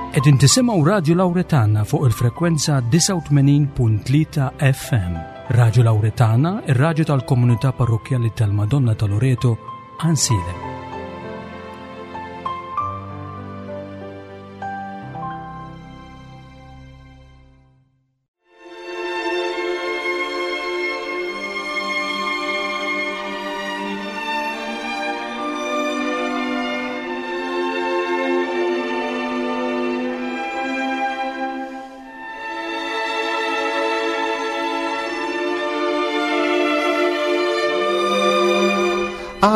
Qegħdin tisimgħu Radju Lawretana fuq il-frekwenza 89.3 FM. Radju Lawretana, ir-radju tal-komunità parrokkjali tal-Madonna ta' Loreto, Ansilem.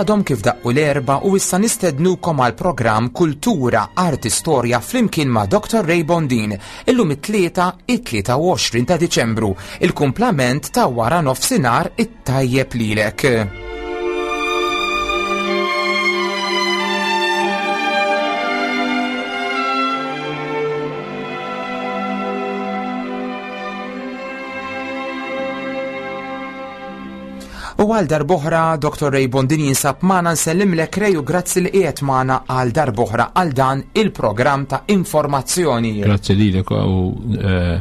Għadhom kif daqqu l-erba u issa nistednukom għal programm Kultura, Arti, Storja flimkien ma' Dr. Ray Bondin Illum it-Tlieta, it-23 ta' Diċembru, il-kumplament ta' wara nofsinhar it-tajjeb lilek. U għal darboħra Dr. Ray Bondin jinsab magħna nsellimlek Ray u grazzi li qiegħed magħna għal darboħra għal dan il-programm ta' informazzjoni. Grazzi lilek u eh,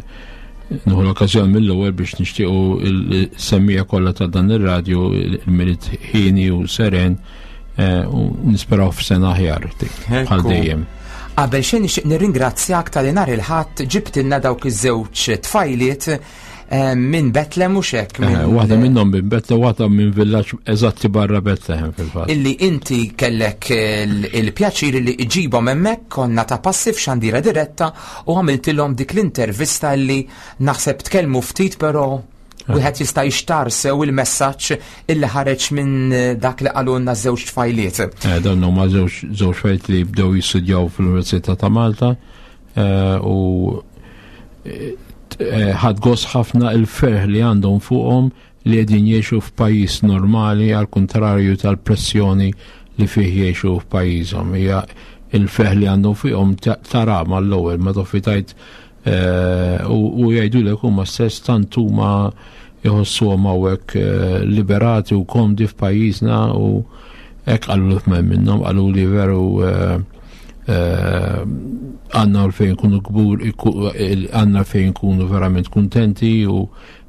nieħu l-okkażjoni mill-ewwel biex nixtiequ il-semmija kollha ta' dan ir-radju il-milit ħini u seren eh, u nisperaw f'sena aħjar bħal dejjem. Qabel xejn nixtieq nirringrazzjak tal nhar il-ħadd ġibtilna dawk iż-żewġ tfajliet Eh, minn Betlem u xek. Eh, waħda minnhom minn Betlem, waħda minn villaġġ eżatti barra Betlehem fil-fatt. Illi inti kellek il-pjaċir li iġibhom hemmhekk konna ta' passi f'xandira diretta u għamiltilhom dik l-intervista li naħseb tkellmu ftit però eh. wieħed jista' jixtar sew il-messaġġ illi ħareġ minn dak li qalulna żewġ tfajliet. Dawn huma żewġ tfajliet li bdew jistudjaw fl-Università ta' Malta u eh, ħad gost ħafna il-ferħ li għandhom fuqhom li qegħdin jgħixu f'pajjiż normali għal kuntrarju tal-pressjoni li fih jgħixu f'pajjiżhom. Hija il-ferħ li għandhom fuqhom tara mal-ewwel ma toffi tajt eh, u jgħidulek huma stess tant huma jħossuhom hawnhekk eh, liberati u komdi f'pajjiżna u hekk qalu l minnhom qalu li veru Eh, għanna fejn kunu kbur, għanna fejn kunu verament kontenti u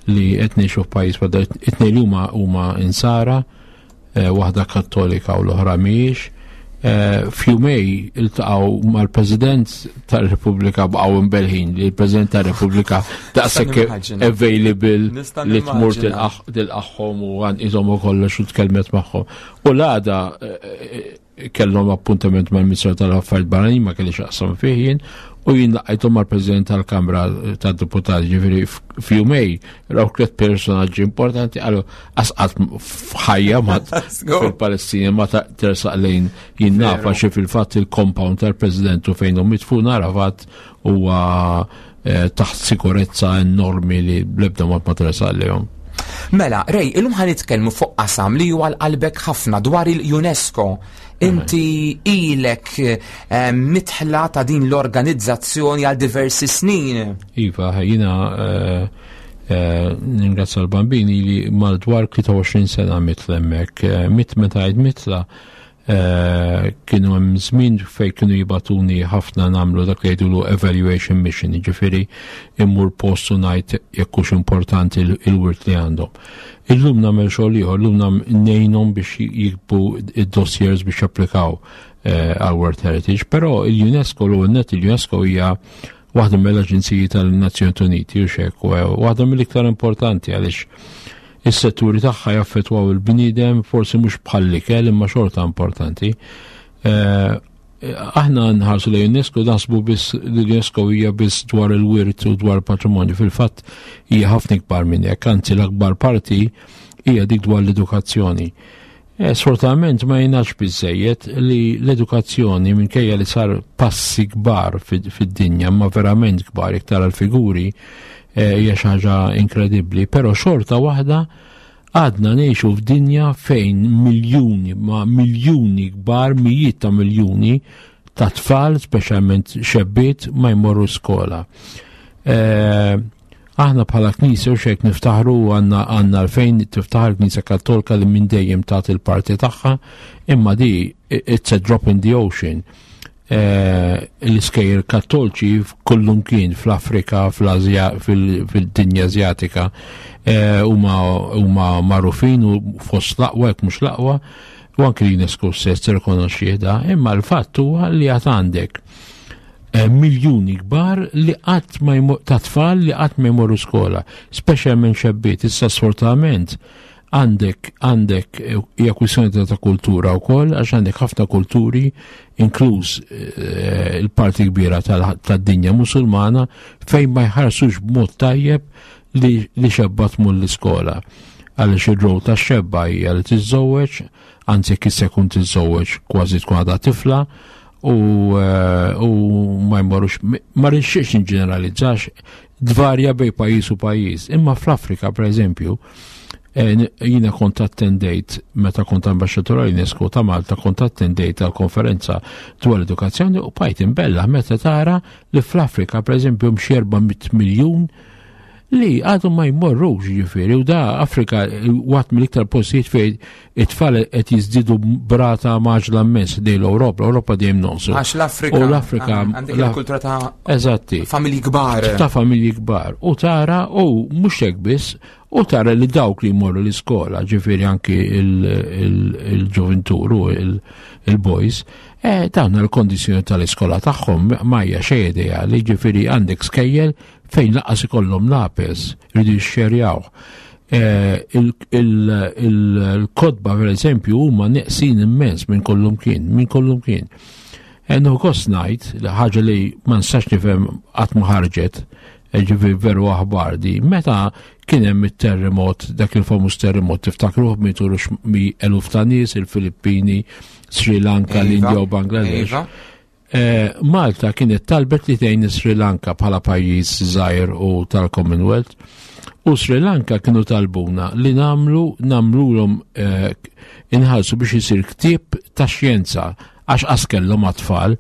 li qed ngħixu f'pajjiż bħal it-tnejn li huma huma insara, eh, waħda kattolika u l-oħra mhijiex. Eh, F'jumej iltaqgħu mal-President tar-Repubblika baqgħu imbelħin li l-President tar-Repubblika daqshekk available li tmur tilqaħħom u għan iżom u kollox u tkellmet magħhom. U l-għada kellhom appuntament mal-Ministru tal-Affarijiet Barranin ma kellix aqsam fih jien u jien laqajthom mal-President tal-Kamra tad-Deputati ġifieri f'jumej raw tliet personaġġi importanti qalu asqat f'ħajja ma fil-Palestina ma tersaq lejn jien nafa xi fil-fatt il-compound tal-President u fejn hu mitfun Arafat huwa eh, taħt sikurezza enormi li bl-ebda mod ma tersaq lejhom. Mela, Rej, illum ħan nitkellmu fuq qasam li huwa qalbek ħafna dwar il-UNESCO. Inti ilek eh, mitħla ta' din l-organizzazzjoni għal diversi snin. Iva, jina eh, eh, ningrazzja l-bambini li mal-dwar 23 sena mitla hemmhekk. Mit meta għid mitla Eh, kienu hemm żmien fejn kienu jibatuni ħafna nagħmlu dak li jgħidulu evaluation mission, jiġifieri immur post u ngħid jekk hux importanti il-wirt li għandhom. Illum nagħmel xogħol ieħor, illum ngħinhom biex jikbu id-dossiers biex japplikaw eh, għal World Heritage, però il-UNESCO l net il-UNESCO hija waħda mill-aġenziji tal-Nazzjonijiet Uniti u xek, waħda mill-iktar importanti għaliex Is-setturi tagħha jaffettwaw il-bniedem forsi mhux bħall-ikel imma xorta importanti. Eh, aħna nħarsu lejn UNESCO naħsbu biss li l-UNESCO hija biss dwar il-wirt u dwar il-patrimonju. Fil-fatt hija ħafna ikbar minn hekk, anzi l-akbar parti hija dik dwar l-edukazzjoni. Eh, sfortunatament ma jingħadx biżejjed li l-edukazzjoni minkejja li sar passi kbar fid-dinja, ma verament kbar iktar għal-figuri eh, hija xi ħaġa inkredibbli, però xorta waħda għadna ngħixu f'dinja fejn miljuni ma miljuni kbar, mijiet ta' miljuni ta' tfal, speċjalment xebbiet, ma jmorru skola. Eh, Aħna bħala Knisja u xek niftaħru għandna għandna għalfejn tiftaħar Knisja Kattolika li minn dejjem tagħti l-parti tagħha, imma di it's a drop in the ocean. L-iskejjel kattolċi kullum kien fl-Afrika, fl-Azja, fil-dinja Azjatika huma magħrufin u fost l-aqwa jekk mhux l-aqwa u anki l-UNESCO stess tirrikonoxxih da, imma l-fatt huwa li għad għandek miljuni kbar li qatt ma ta' tfal li qatt ma jmorru skola, speċjalment xebbiet, issa sfortunatament għandek għandek eh, hija kwistjoni ta' kultura wkoll għax għandek ħafna kulturi inkluż eh, il-parti kbira tad-dinja musulmana fejn ma jħarsux b'mod tajjeb li, li xebba tmur l-iskola. Għaliex ir-rol ta' xebba hija li tiżżewweġ, anzi jekk issa jkun tiżżewweġ kważi tkun għadha tifla u, eh, u ma jmorrux ma rixxiex inġeneralizzax dvarja bej pajjiż u pajjiż. Imma fl-Afrika, per eżempju, eh, jina kont attendejt meta kont ambaxxatur għal UNESCO ta' Malta kont attendejt għal konferenza dwar l-edukazzjoni u bajt imbella meta tara li fl-Afrika per eżempju mxi 400 miljun li għadu ma jmorrux ġifiri u da Afrika waħda mill-iktar postijiet fejn it-tfal qed jiżdiedu b'rata mgħaġġla immens dej l-Ewropa, l-Ewropa dejjem nonqsu. Għax l-Afrika. U l-Afrika. Ah, għandek il-kultura ta' Eżatti. Familji kbar. Ta' familji kbar. U tara, u mhux hekk biss, u tara li dawk li jmorru l-iskola, ġifieri anki il-ġuvintur u il-boys, eh, dawn il-kondizjoni tal-iskola tagħhom ma hija xejn ideali, ġifieri għandek skejjel fejn lanqas ikollhom lapes, jridu jixxerjaw. Eh, il-kotba per eżempju huma neqsin immens minn kollum kien, minn kollum kien. Ennu gost ngħid li ħaġa li ma nistax nifhem qatt ma ħarġet, eh, ġifieri veru aħbar di, meta kien hemm it-terremot, dak il-famuż terremot tiftakruh mietu mi eluf ta' nies, il-Filippini, Sri Lanka, Iva, l-India u Bangladesh. Iva. Eh, Malta kienet talbet li tgħin Sri Lanka bħala pajjiż żgħir u tal-Commonwealth. U Sri Lanka kienu talbuna li namlu namlulhom eh, inħallsu biex isir ktieb ta' xjenza għax qas kellhom għat-tfal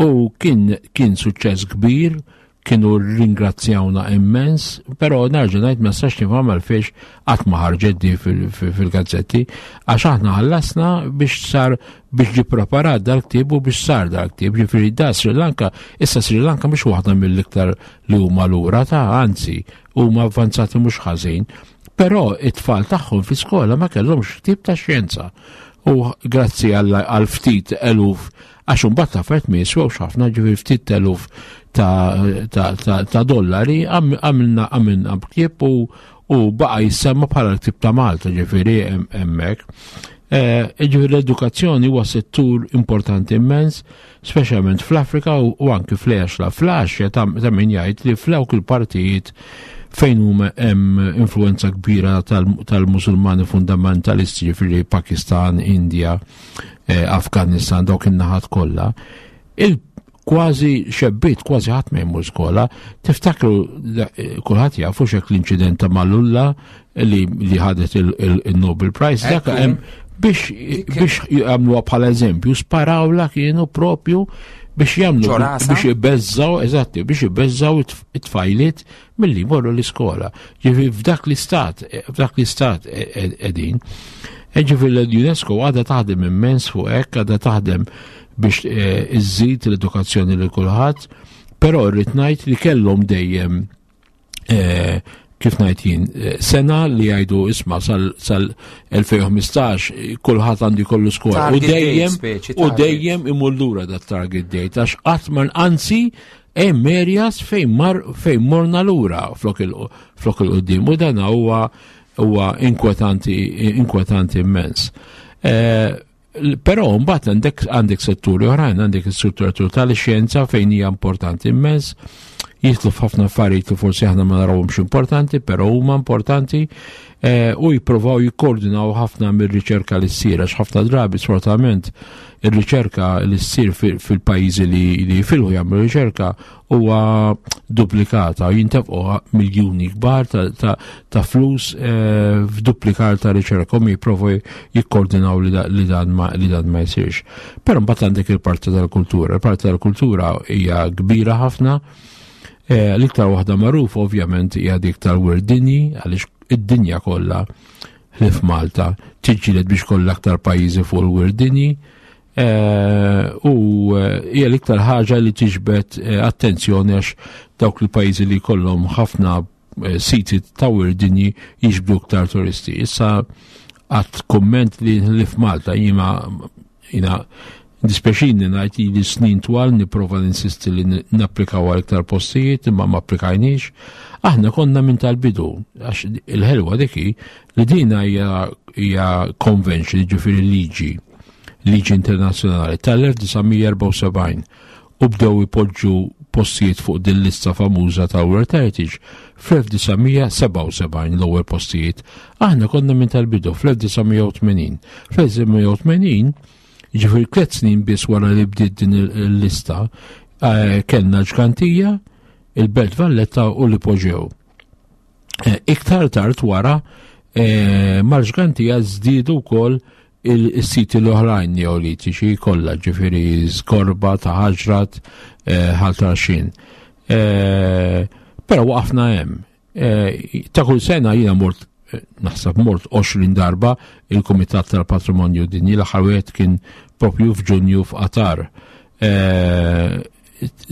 u kien kien suċċess kbir kienu ringrazzjawna immens, però nerġa' ngħid ma nistax nifhem għalfiex qatt ma ħarġet di fil-gazzetti, għax aħna ħallasna biex sar biex ġi preparat dal-ktieb u biex sar dal-ktieb, ġifieri da Sri Lanka, issa Sri Lanka mhux waħda mill-iktar li huma lura ta' anzi huma avvanzati mhux ħażin, però it-tfal tagħhom fi skola ma kellhomx ktieb ta' xjenza. U grazzi għal ftit eluf għax imbagħad l-affarijiet ma jiswewx ħafna ġifieri ftit eluf ta', ta, ta, ta dollari għamilna għamilna ktieb u, u baqa jissemma bħala l-ktieb ta' Malta ġifieri hemmhekk. Eh, ġifieri l-edukazzjoni huwa settur importanti immens, speċjalment fl-Afrika u, u anki fl-Asja. Fl-Asja ta' ta' min jgħid li f'dawk il-partijiet fejn huma hemm influenza kbira tal-Musulmani fundamentalisti ġifieri Pakistan, India, eh, Afganistan, dawk in-naħat kollha, il kważi xebbiet, kważi ħadd ma jmur skola. Tiftakru eh, kulħadd jafu xek l-inċident ta' Malala li, li ħadet il-Nobel Prize, dak hemm biex biex jagħmluha bħala eżempju, sparawla kienu propju biex jagħmlu Ġo rasha? biex ibeżżaw, eżatti, biex ibeżżaw it-tfajliet milli jmorru l-iskola. Ġifieri f'dak l-istat, f'dak l-istat qegħdin. E ġifieri l-UNESCO għadha taħdem immens fuq hekk, għadha taħdem biex eh, iżżid l-edukazzjoni lil kulħadd, però rrid ngħid li kellhom dejjem eh, kif ngħid jien, eh, sena li jgħidu isma' sal-2015 kulħadd għandu jkollu skola. U Target date, dejjem speċi, u target. dejjem imur lura dat target date għax qatt ma anzi hemm areas fejn mar fejn morna lura flok il flok il-qudiem u dan huwa huwa inkwetanti inkwetanti immens. Eh, Però mbagħad għandek għandek setturi oħrajn, għandek is-settur tal-xjenza fejn hija importanti immens, jidħlu f'ħafna affarijiet li forsi aħna ma narawhomx importanti, però huma importanti eh, u jippruvaw jikkoordinaw ħafna mir-riċerka li ssir għax ħafna drabi sfortunatament ir-riċerka li ssir fil-pajjiżi li li jifilħu jagħmlu riċerka huwa duplikata u jintefqu miljuni kbar ta', ta, ta flus eh, f'duplikar ta' riċerka u jipprovaw jikkoordinaw li, da, li, dan ma, li dan ma jsirx. Però mbagħad għandek il-parti tal-kultura. Il-parti tal-kultura hija kbira ħafna. Eh, L-iktar waħda magħrufa ovvjament hija dik tal-Wirt Dinji għaliex id-dinja kollha ħlief Malta tiġġieled biex kollha aktar pajjiżi fuq il-Wirt Dinji. Eh, u eh, hija l-iktar ħaġa li tiġbed eh, attenzjoni għax dawk il-pajjiżi li jkollhom ħafna siti ta' wirt dinji jiġbdu iktar turisti. Issa għat komment li li f'Malta jima jina dispjaċini ngħid li snin twal nipprova ninsisti li napplikaw għal iktar postijiet imma ma applikajniex. Aħna konna minn tal-bidu għax il-ħelwa diki li dina hija convention, ġifieri liġi, liġi internazzjonali tal-1974 u bdew ipoġġu postijiet fuq din lista famuża ta' World Heritage fl-1977 l-ewwel postijiet. Aħna konna minn tal-bidu fl-1980. Fl-1980, ġifieri tliet snin biss wara li bdiet din il-lista, eh, kellna ġgantija, il-Belt Valletta u l-Ipoġew. Eh, iktar tard wara eh, mal-ġgantija żdiedu wkoll il-siti l-oħrajn neolitiċi kollha, ġifieri Skorba, ta' Ħaġrat, eh, Ħal Tarxien. Però waqafna hemm. Ta' kull sena jiena mort naħseb mort 20 darba il-Kumitat tal-Patrimonju Dinji l-aħħar wieħed kien propju f'Ġunju f'Qatar.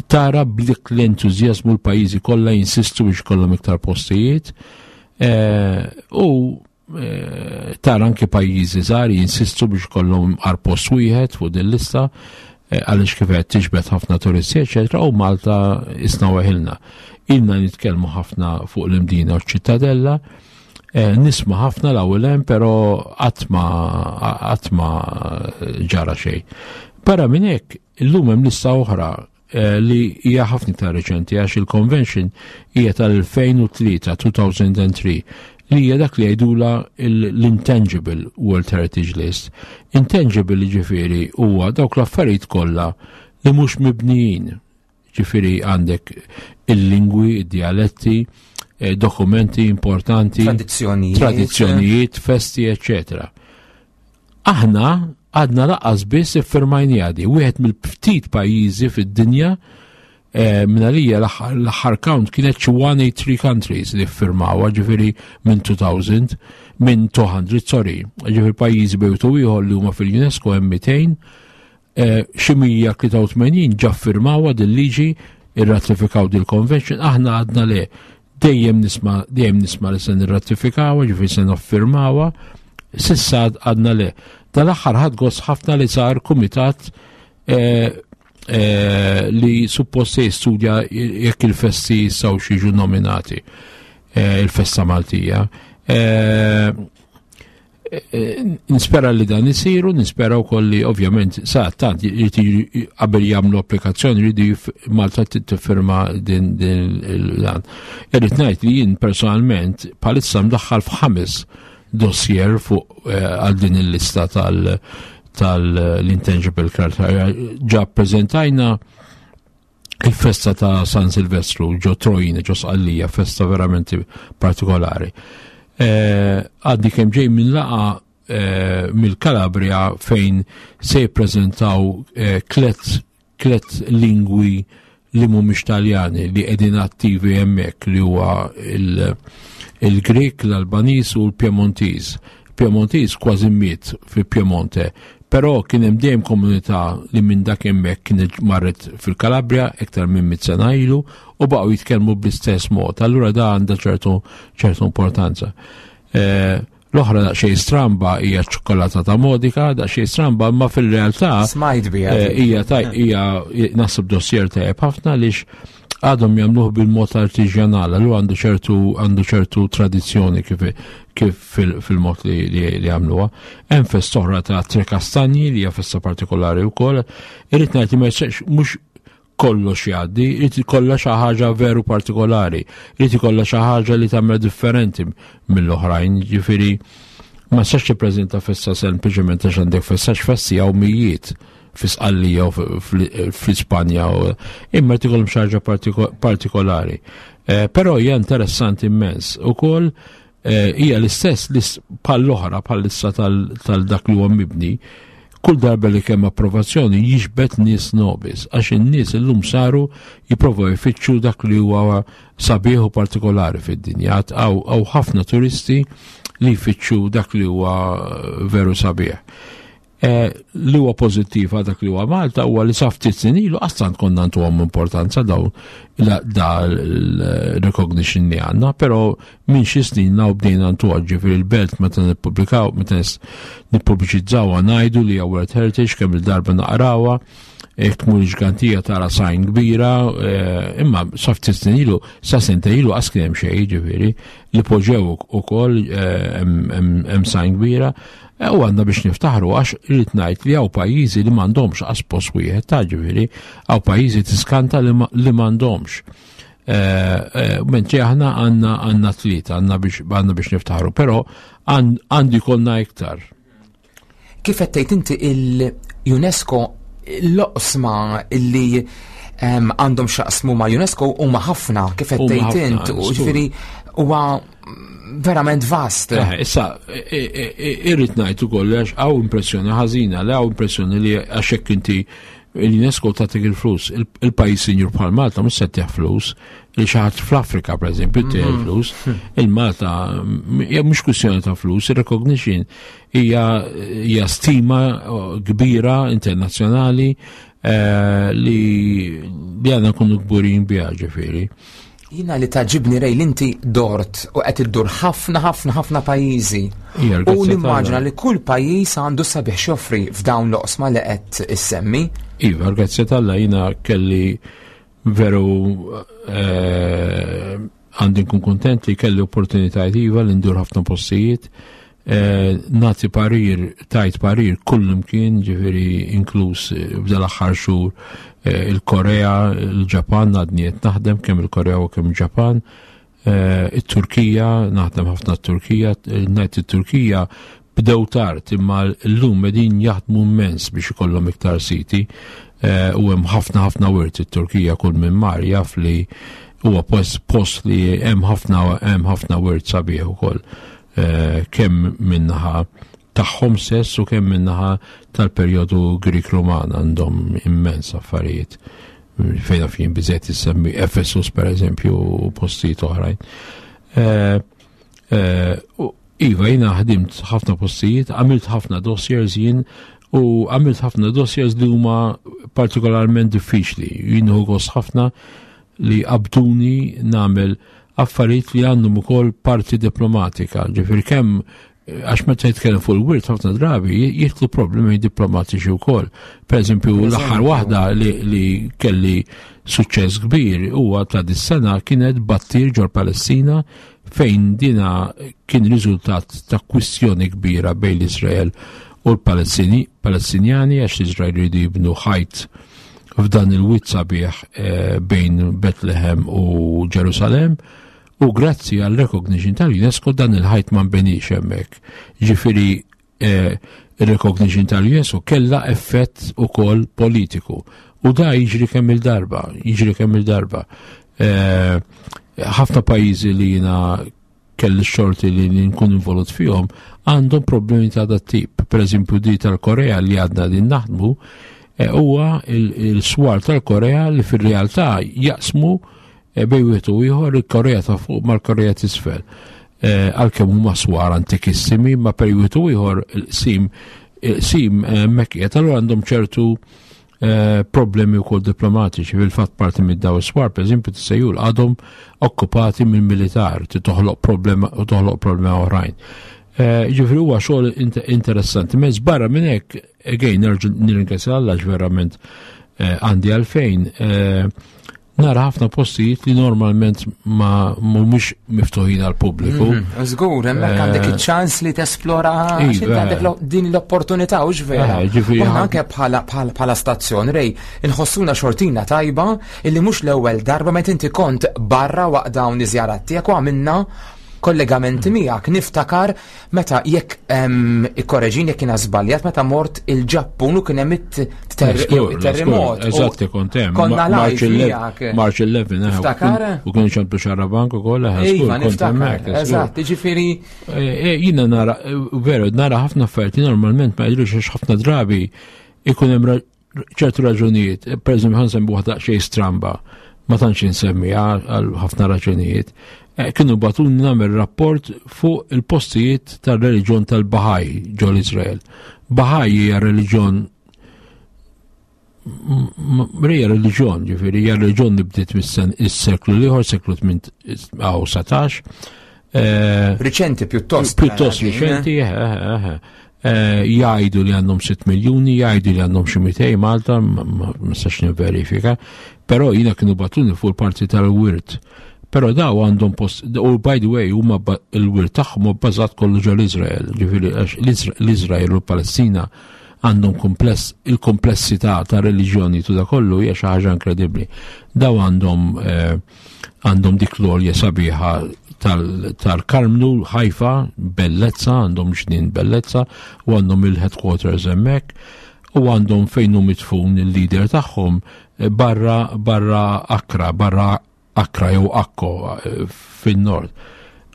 Tara b'dik l-entużjażmu l-pajjiżi kollha jinsistu biex kollhom iktar postijiet eh, u eh, tara anke pajjiżi żgħar jinsistu biex kollhom għar post wieħed fuq din lista eh, għaliex kif qed tiġbed ħafna turisti eċetera u Malta isna weħilna. Ilna nitkellmu ħafna fuq l-Imdina u ċ-Ċittadella, nisma' ħafna l-ewwel hemm però qatt ma ġara xejn. Barra minn hekk Illum hemm lista oħra eh, li hija ħafna iktar reċenti għax il-convention hija tal-2003, 2003, li hija dak li jgħidula l-Intangible World Heritage List. Intangible ġifieri huwa dawk l-affarijiet kollha li mhux mibnijin. Ġifieri għandek il-lingwi, id-dialetti, eh, dokumenti importanti, tradizzjonijiet, tradizzjonijiet, festi, eccetera. Aħna għadna laqqas biss iffirmajniha di. Wieħed mill-ftit pajjiżi fid-dinja eh, minn għalija l-aħħar count kienet xi 183 countries li ffirmawha, ġifieri minn 2000, minn 200, sorry, ġifieri pajjiżi bejtu ieħor li huma fil-UNESCO hemm 200, eh, xi 183 ġa ffirmawha din liġi irratifikaw dil convention aħna għadna le dejjem nisma' dejjem nisma' li se nirratifikawha, ġifieri se noffirmawha, sissa għadna le. Dal-aħħar ħadd gost ħafna li sar kumitat eh, eh, li suppost se jistudja jekk il-festi jistgħu jiġu nominati il-festa Maltija. Nispera li dan isiru, nispera wkoll li ovvjament sa tant qabel jagħmlu applikazzjoni jridu Malta tiffirma din dan. Irrid ngħid li jien personalment bħalissa mdaħħal f'ħames dossier fuq eh, għal din il-lista tal tal-intangible criteria. Ġa prezentajna il-festa ta' San Silvestru ġo Trojina, ġo Sqallija, festa verament partikolari. Eh, għaddi kemm ġej minn laqa eh, mill-Kalabria fejn se jippreżentaw eh, klet klet lingwi li mhumiex Taljani li qegħdin attivi hemmhekk li huwa il-Grek, l-Albaniż u l-Piemontiż. Piemontiż kważi miet fi Piemonte, però kien hemm dejjem komunità li minn dak hemmhekk kienet marret fil-Kalabria iktar minn mit sena ilu u baqgħu jitkellmu bl-istess mod. Allura da għandha ċertu ċertu importanza. Eh, l-oħra daqsxejn stramba hija ċ-ċokolata ta' Modika, daqsxejn stramba, imma fil-realtà Smajt biha. Eh, hija hija naħseb dossier tajjeb ħafna għaliex għadhom jagħmluh bil-mod artiġjanal, allura għandu ċertu għandu ċertu tradizzjoni kif kif fil-mod li li jagħmluha. Hemm festa oħra ta' Tre Kastanji li hija festa partikolari wkoll. Irid ngħid li ma jistax mhux kollox jgħaddi, irid ikollha xi ħaġa veru partikolari, irid ikollha xi ħaġa li tagħmel differenti mill-oħrajn, ġifieri ma sax tippreżenta festa sempliċement għax għandek festa x'festi hawn mijiet fi Sqallija u fl-Ispanja, imma jrid ikollhom xi ħaġa partikolari. Eh, però hija interessanti immens. Ukoll eh, hija l-istess bħall-oħra bħall-issa tal-dak li huwa mibni, kull darba li kemm approvazzjoni jiġbed nies nobis, għax in-nies illum saru jipprovaw jfittxu dak li huwa sabiħ u partikolari fid-dinja. Għaw ħafna turisti li jfittxu dak li huwa veru sabiħ. Li huwa pożittiv għal dak li huwa Malta huwa li sa ftit snin ilu qastant konna ntuhom importanza dawn da l-recognition li għandna, però minn xi snin naw bdejna ntuha ġifieri l-belt meta nippubblikaw, meta nippubbliċizzawha ngħidu li hija World Heritage kemm il-darba naqrawha, jekk tmur il-ġgantija tara sajn kbira, imma sa ftit snin ilu, sa sentejn ilu qas kien hemm xejn, ġifieri, li poġġew ukoll hemm sajn kbira. U għandna biex niftaħru għax irrid ngħid li hawn pajjiżi li m'għandhomx qas post wieħed ta' ġifieri, hawn pajjiżi tiskanta li m'għandhomx. Mentri aħna għandna tlieta, għandna biex niftaħru, però għandu jkollna iktar. Kif qed tgħid inti il-UNESCO l-oqsma li għandhom x'jaqsmu ma' UNESCO huma ħafna kif qed Huma tgħid ħafna, int, u żgur. ġifieri huwa verament vast. Issa, irrid ngħid ukoll għax hawn impressjoni ħażina, li hawn impressjoni li għax hekk inti l-UNESCO tagħtik il-flus, il-pajjiż sinjur bħal Malta mhux se tieħ flus, li xi ħadd fl-Afrika pereżempju tieħ il-flus, il-Malta hija mhux kwistjoni ta' flus, il-recognition hija stima kbira internazzjonali li għandna nkunu kburin biha ġifieri. Jina li tagħġibni Ray li inti dort u qed iddur ħafna ħafna ħafna pajjiżi. Ija, U grazzi nimmaġina tal-Alla. li kull pajjiż għandu sabiħ x'joffri f'dawn l-oqsma li qed issemmi. Iva, grazzi tal-Alla jina kelli veru għandi nkun kontent li kelli opportunitajiet iva li ndur ħafna postijiet. Nagħti parir, tajt parir kull imkien, ġifieri inkluż f'dal aħħar xhur il-Korea, il-Ġapan, għadni qed naħdem kemm il-Korea u kemm il-Ġapan, it-Turkija, naħdem ħafna t-Turkija, ngħid it-Turkija bdew tard imma llum qegħdin jaħdmu immens biex ikollhom iktar siti, u hemm ħafna ħafna wirt it-Turkija kull minn mar jaf li huwa post li hemm ħafna wirt sabiħ ukoll. Kemm minnaħa tagħhom stess u kemm minnaħa tal-perjodu Grik-Ruman għandhom immens affarijiet. Fejn fin biżejt issemmi Efesus per eżempju u postijiet oħrajn. Iva, jiena ħdimt ħafna postijiet, għamilt ħafna dossiers jien u għamilt ħafna dossiers li huma partikolarment diffiċli. Jien hu gost ħafna li qabduni nagħmel affarijiet li għandhom ukoll parti diplomatika. Ġifieri kemm għax meta jitkellem fuq il-wirt ħafna drabi jidħlu problemi diplomatiċi wkoll. Per eżempju, Per l-aħħar eżempju. waħda li kelli suċċess kbir huwa ta' dis-sena kienet Battir ġol Palestina fejn dina kien riżultat ta' kwistjoni kbira bejn l-Izrael u l-Palestini, Palestinjani għax l-Izrael jridu jibnu ħajt f'dan il-wied sabiħ bejn Bethlehem u Ġerusalem. U grazzi għal recognition tal-UNESCO dan il-ħajt ma nbenix hemmhekk. Ġifieri il-recognition tal-UNESCO kella effett ukoll politiku. U da jiġri kemm il-darba, jiġri kemm il-darba. Ħafna pajjiżi li jiena kelli xorti li nkun involut fihom għandhom problemi ta' dat tip. Per eżempju di tal-Korea li għadna din naħdmu huwa il-swar tal-Korea li fir-realtà jaqsmu bejn wieħed u ieħor il-Korea ta' fuq mal-Korea t'isfel. Għalkemm huma swar antikissimi, ma bejn wieħed u ieħor il-qsim hemmhekk qiegħed, allura għandhom ċertu problemi wkoll diplomatiċi. Fil-fatt parti minn daw is-swar, per eżempju, tissejjul għadhom okkupati minn militar, ti toħloq problema u toħloq problema oħrajn. Ġifieri huwa xogħol interessanti. Mezz barra minn hekk, again, nerġa' nirringrazzja Alla għax verament għandi għalfejn nara ħafna postijiet li normalment ma mhumiex miftuħin għal pubbliku. Żgur, hemmhekk għandek iċ-ċans li tesplora għax inti għandek din l-opportunità, hux vera? Ġifieri U aħna anke bħala stazzjon, Ray, inħossuna xortina tajba illi mhux l-ewwel darba meta inti kont barra waqt dawn iż-żjarat tiegħek u għamilna kollegamenti miegħek. Niftakar meta jekk ikkoreġini jekk jiena żbaljat, meta mort il-Ġappun u kien hemm it-terremot. Eżatt, kont hemm. Konna live March miegħek. March 11, Niftakar? u kien ċemplu Xarabank ukoll, Iva, żgur, kont niftakar. hemmhekk, żgur. Eżatt, jiġifieri Jiena nara, veru, nara ħafna affarijiet li normalment ma jidhrux għax ħafna drabi ikun hemm ċertu raġunijiet. Per eżempju, ħa nsemmi waħda xejn stramba. Ma tantx insemmiha għal ħafna raġunijiet. Eh, kienu batuni nagħmel rapport fuq il-postijiet tar-reliġjon tal-Bahaj ġol Izrael. Bahaj hija reliġjon hija reliġjon, ġifieri hija reliġjon li bdiet mis-seklu l-ieħor, seklu 18. Eh, riċenti pjuttost. Pjuttost riċenti, eh, eh, jgħidu li għandhom 6 miljuni, jgħidu li għandhom xi 200 Malta, ma nistax nivverifika, però jiena kienu batuni fuq il-parti tal-wirt. Però daw għandhom post, u by the way, huma il-wirt tagħhom hu bbażat kollu ġol Izrael, ġifieri l-Izrael u l-Palestina għandhom kumpless, il-komplessità ta' reliġjoni tu da kollu hija xi ħaġa inkredibbli. Daw għandhom eh, għandhom dik l-olja sabiħa tal-Karmnu, Ħajfa, bellezza, għandhom ġnien bellezza, u għandhom il-headquarters hemmhekk, u għandhom fejn hu mitfun il-leader tagħhom eh, barra barra Akra, barra Akra jew Akko eh, fin-nord.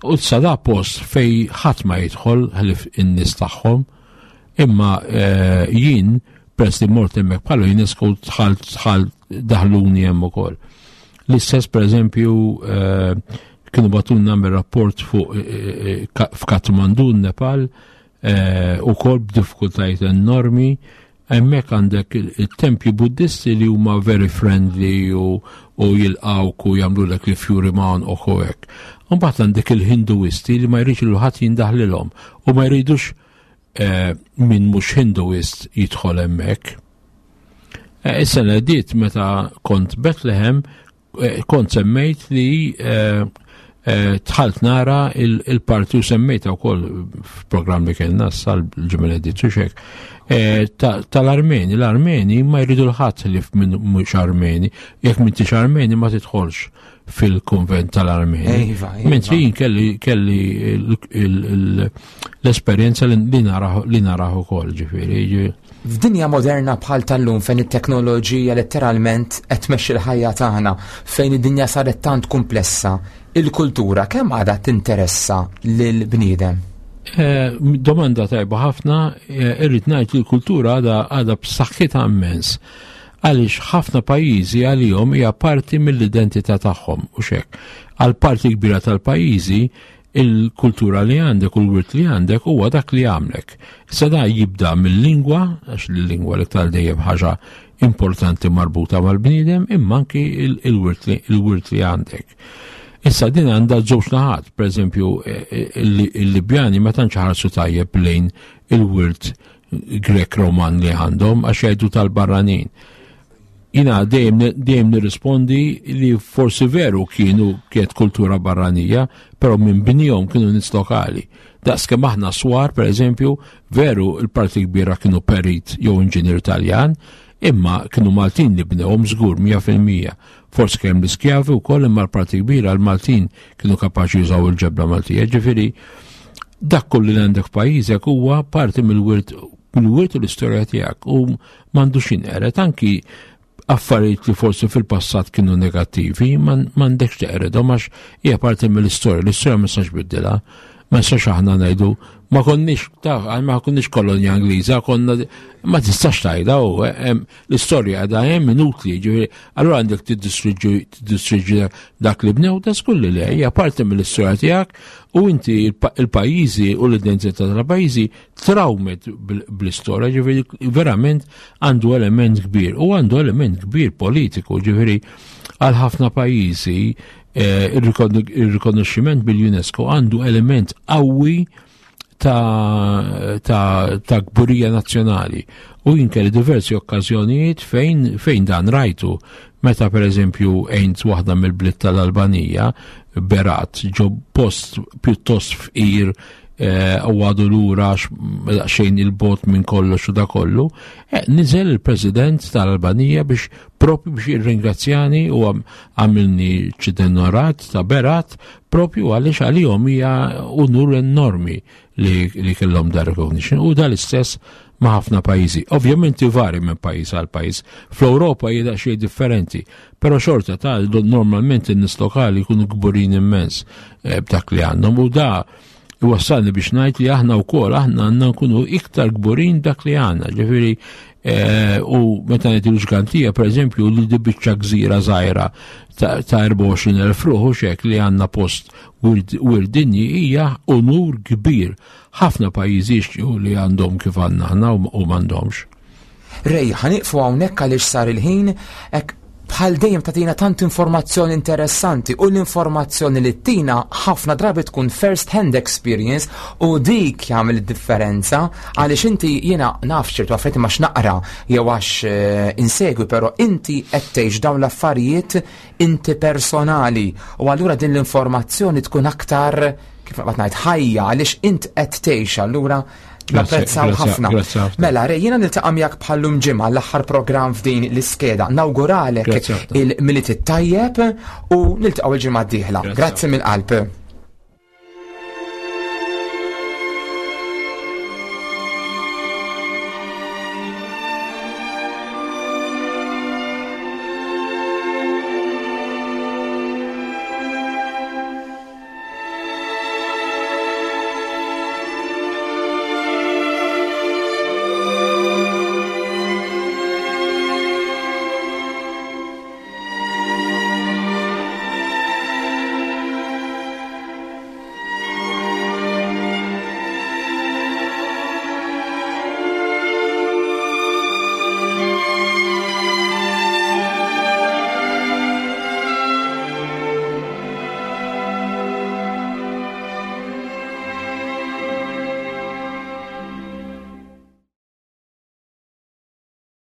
U sa post fej ħadd ma jidħol ħlif in-nies tagħhom, imma eh, jien peress li mort hemmhekk bħala UNESCO dħalt dħalt daħluni hemm ukoll. L-istess pereżempju eh, kienu batun nagħmel rapport fuq eh, eh, f'Kathmandu, Nepal, ukoll b'diffikultajiet enormi. Hemmhekk għandek il-tempji Buddisti li huma very friendly u, u jilqawk u jagħmlulek li fjuri ma' u hekk. Mbagħad għandek il-Hinduisti li ma jridx il ħadd jindaħlilhom u ma jridux eh, min mhux Hinduist jidħol hemmhekk. Eh, is-sena diet meta kont Bethlehem eh, kont semmejt li tħalt nara il-parti u semmejta wkoll f'programm li kellna sal ġimgħa li xek tal-Armeni. L-Armeni ma jridu l-ħadd li minn mhux Armeni, jekk m'intix Armeni ma tidħolx fil-konvent tal-Armeni. Iva, iva. Mentri jien kelli kelli l-esperjenza li naraħ ukoll ġifieri. F'dinja moderna bħal tal-lum fejn it-teknoloġija letteralment qed tmexxi l-ħajja tagħna, fejn id-dinja saret tant komplessa, il-kultura kemm għadha tinteressa lil bniedem? Eh, domanda tajba ħafna, eh, irrid ngħid li l-kultura għadha għadha b'saħħitha immens għaliex ħafna pajjiżi għalihom hija parti mill-identità tagħhom u xek. Għal parti kbira tal-pajjiżi il-kultura li għandek u l-wirt li għandek huwa dak li għamlek. Issa da jibda mill-lingwa, għax l-lingwa li tal dejjem ħaġa importanti marbuta mal-bniedem, imma anki il-wirt li għandek. Issa din għandha żewġ naħat, per eżempju, e, e, il-Libjani ma tantx ħarsu tajjeb lejn il-wirt Grek Roman li għandhom għax jgħidu tal-barranin. Jina dejjem dejjem nirrispondi li forsi veru kienu kienet kultura barranija, però minn bnihom kienu nies lokali. Daqs kemm aħna swar, per eżempju, veru l-parti kbira kienu perit jew inġinier Taljan, imma kienu Maltin li bnewhom żgur 100%. Forsi kemm l-iskjavi wkoll imma l-parti kbira l-Maltin kienu kapaċi jużaw il-ġebla Maltija. Ġifieri dak kollu li għandek f'pajjiżek huwa parti mill-wirt mill-wirt u l-istorja tiegħek u m'għandux jinqered anki affarijiet li forsi fil-passat kienu negattivi m'għandekx teqredhom għax hija parti mill-istorja, l-istorja ma nistax biddilha. Ma nistax aħna ngħidu ma konniex ta' ma konniex kolonja Ingliża, konna ma tistax tgħidha u eh, l-istorja għadha hemm inutli, ġifieri allura għandek tiddistruġġi dak li bnew ta' skull li hija parti mill-istorja tiegħek u inti il-pajjiżi u l-identità tal-pajjiżi trawmet bl-istorja, ġifieri verament għandu element kbir u għandu element kbir politiku, ġifieri għal ħafna pajjiżi eh, ir-rikonoxximent bil-UNESCO għandu element qawwi ta', ta, ta kburija nazzjonali. U jien kelli diversi okkażjonijiet fejn, fejn dan rajtu. Meta per eżempju għejnt waħda mill-bliet tal-Albanija, Berat, ġo post pjuttost fqir eh, u għadu lura xejn il-bot minn kollox u da kollu, eh, niżel il-President tal-Albanija biex propju biex jirringrazzjani u għamilni ċidenorat ta' Berat propju għaliex għalihom hija unur enormi li, li kellhom da recognition u dal-istess ma' ħafna pajjiżi. Ovvjament ivari minn pajjiż għal pajjiż. Fl-Ewropa hija xejn differenti, però xorta ta' normalment in-nies lokali jkunu kburin immens eh, b'dak li għandhom u da iwassalni biex ngħid li aħna wkoll aħna għandna nkunu iktar kburin dak li għandna. Ġifieri eh, u meta ngħid il-ġgantija pereżempju li di biċċa gżira żgħira ta' 24,000 ruħ u xek li għandna post wirdinji hija unur kbir. Ħafna pajjiżi jixtiequ li għandhom kif għandna aħna u m'għandhomx. Rej, ħaniqfu hawnhekk għaliex sar il-ħin, hekk bħal dejjem tagħtina tant informazzjoni interessanti u l-informazzjoni li tina ħafna drabi tkun first hand experience u dik jagħmel id-differenza għaliex inti jiena naf ċertu affarijiet ma x'naqra jew għax eh, insegwi però inti qed tgħix dawn l-affarijiet inti personali u allura din l-informazzjoni tkun aktar kif naqbad ngħid ħajja għaliex int qed tgħix allura Napprezzaw ħafna. Mela, Rej, jiena niltaqa' miegħek bħallum ġimgħa l-aħħar programm f'din l-iskeda. Nawguralek il-Milied it-tajjeb u niltaqgħu il-ġimgħa d-dieħla. Grazzi mill-qalb.